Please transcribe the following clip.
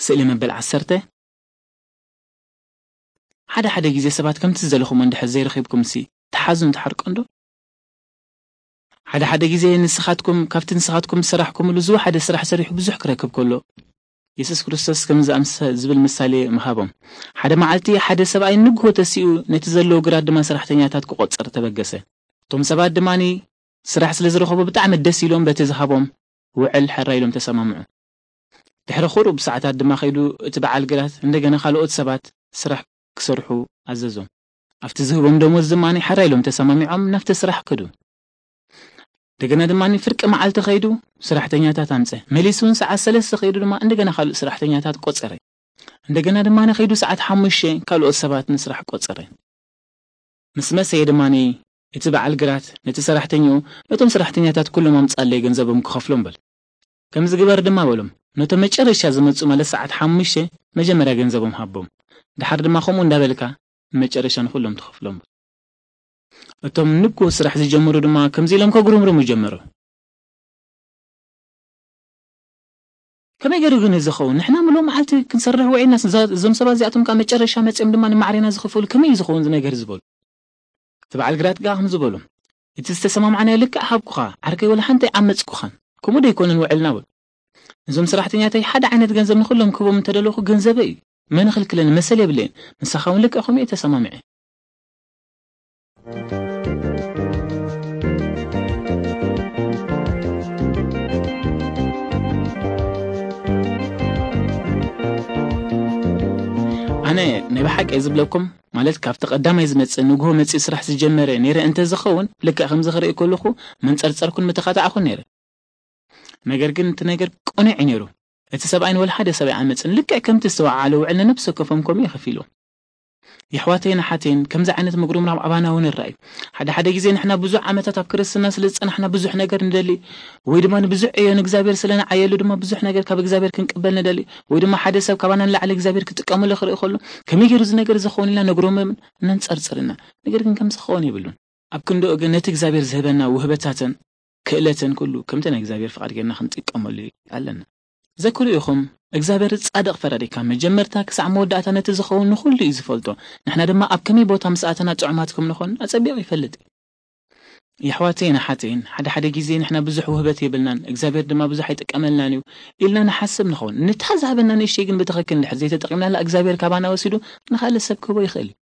ስእሊ መበል ዓሰርተ። ሓደ ሓደ ግዜ ሰባት ከምቲ ዝደለኹም እንድሕር ዘይረኺብኩም ሲ ትሓዙን ትሓርቆን ዶ? ሓደ ሓደ ግዜ ንስኻትኩም ካብቲ ንስኻትኩም ዝሰራሕኩምሉ ዝወሓደ ስራሕ ሰሪሑ ብዙሕ ክረክብ ከሎ፣ የሱስ ክርስቶስ ከምዚ ኣምሰ-፣ ዝብል ምሳሌ ምሃቦም። ሓደ መዓልቲ ሓደ ሰብኣይ ንግሆ ተሲኡ ነቲ ዘለዎ ግራት ድማ ሰራሕተኛታት ክቖጽር ተበገሰ። እቶም ሰባት ድማ ስራሕ ስለ ዝረኸቡ ብጣዕሚ ደስ ኢሎም በቲ ዝሃቦም ውዕል ሕራይ ኢሎም ተሰማምዑ። ድሕሪ ቁሩብ ሰዓታት ድማ ከይዱ እቲ በዓል ግራት እንደገና ካልኦት ሰባት ስራሕ ክሰርሑ ኣዘዞም። ኣብቲ ዝህቦም ደሞዝ ድማ ሕራይ ኢሎም ተሰማሚዖም ናብቲ ስራሕ ከዱ። እንደገና ድማ ፍርቂ መዓልቲ ከይዱ ስራሕተኛታት ኣምፀ። መሊሱ እውን ሰዓት ሰለስተ ከይዱ ድማ እንደገና ካልእ ስራሕተኛታት ቆፀረ። እንደገና ድማ ከይዱ ሰዓት ሓሙሽተ ካልኦት ሰባት ንስራሕ ቆፀረ። ምስ መሰየ ድማ እቲ በዓል ግራት ነቲ ሰራሕተኛኡ፣ "ነቶም ሰራሕተኛታት ኩሎም ኣምጻለይ ገንዘቦም ክኸፍሎም" በል። ከምዚ ግበር ድማ በሎም፣ ነቶም መጨረሻ ዝመጹ ማለት ሰዓት ሓሙሽተ መጀመርያ ገንዘቦም ሃቦም። ድሓር ድማ ከምኡ እንዳበልካ መጨረሻ ንኹሎም ትኸፍሎም በል። እቶም ንግሆ ስራሕ ዝጀመሩ ድማ ከምዚ ኢሎም ከጉርምርሙ ጀመሩ። ከመይ ገይሩ ግን ዝኸውን? ንሕና ምሉእ መዓልቲ ክንሰርሕ ውዒልና፣ እዛ-፣ እዞም ሰባት እዚኣቶም ከኣ መጨረሻ መጺኦም ድማ ንማዕሬና ዝኸፈሉ፣ ከመይ እዩ ዝኸውን እዚ ነገር ዝበሉ? እቲ በዓል ግራት ከኣ ከምዚ በሎም፣ እቲ ዝተሰማማዕናዮ ልክዕ ሃብኩኻ፣ ዓርከይ ወላ ሓንቲ ኣይዓመጽኩኻን። ከምኡ ዶ ኣይኮነን ውዕልና በሉ። እዞም ሰራሕተኛተይ ሓደ ዓይነት ገንዘብ ንኹሎም ክህቦም እንተደለኹ ገንዘበይ እዩ። መን ይኽልክለኒ? መሰል የብለይን። ምሳኻ እውን ልክዕ ከምኡ እየ ተሰማሚዐ። ኣነ ናይ ብሓቂ እየ ዝብለኩም፣ ማለት ካብቲ ቀዳማይ ዝመጽእ ንግሆ መጺኡ ስራሕ ዝጀመረ ነይረ እንተ ዝኸውን፣ ልክዕ ከምዚ ክርኢ ከለኹ መንጸርጸርኩን ምተኻታዕኩን ነይረ። ነገር ግን እቲ ነገር ቅኑዕ እዩ ነይሩ። እቲ ሰብኣይ ንወላ ሓደ ሰብ ኣይዓመጽን። ልክዕ ከምቲ ዝተወዓዓለ ውዕል ንነፍሲ ወከፎም ከምኡ እዩ ከፊልዎም። የሕዋተይን ኣሓተይን፣ ከምዚ ዓይነት ምጉርምራም ኣባና እውን ይረኣዩ። ሓደ ሓደ ግዜ ንሕና ብዙሕ ዓመታት ኣብ ክርስትና ስለ ዝጸናሕና ብዙሕ ነገር ንደሊ፣ ወይ ድማ ንብዙሕ ዕዮ ንእግዚኣብሔር ስለ ንዓየሉ ድማ ብዙሕ ነገር ካብ እግዚኣብሔር ክንቅበል ንደሊ፣ ወይ ድማ ሓደ ሰብ ካባና ንላዕሊ እግዚኣብሔር ክጥቀመሉ ክርኢ ከሎ፣ ከመይ ገይሩ እዚ ነገር ዝኸውን ኢልና ነግሮምን ነንጸርጽር ኢና። ነገር ግን ከምዚ ክኸውን የብሉን። ኣብ ክንድኡ ግን ነቲ እግዚኣብሔር ዝህበና ውህበታትን ክእለትን ኩሉ ከምቲ ናይ እግዚኣብሔር ፍቓድ ጌርና ክንጥቀመሉ ኣለና። ዘክሩ ኢኹም፣ እግዚኣብሔር ጻድቕ ፈራዲ ካብ መጀመርታ ክሳዕ መወዳእታ ነቲ ዝኸውን ንኹሉ እዩ ዝፈልጦ። ንሕና ድማ ኣብ ከመይ ቦታ ምስ ኣተና ጥዑማት ከም ንኾን ኣጸቢቑ ይፈልጥ እዩ። የሕዋተይን ኣሓተይን፣ ሓደ ሓደ ግዜ ንሕና ብዙሕ ውህበት የብልናን፣ እግዚኣብሔር ድማ ብዙሕ ኣይጥቀመልናን እዩ ኢልና ንሓስብ ንኸውን። ነታ ዝሃበና ንእሽተይ ግን ብትኽክል እንድሕር ዘይተጠቒምናላ እግዚኣብሔር ካባና ወሲዱ ንኻልእ ሰብ ክህቦ ይኽእል እዩ።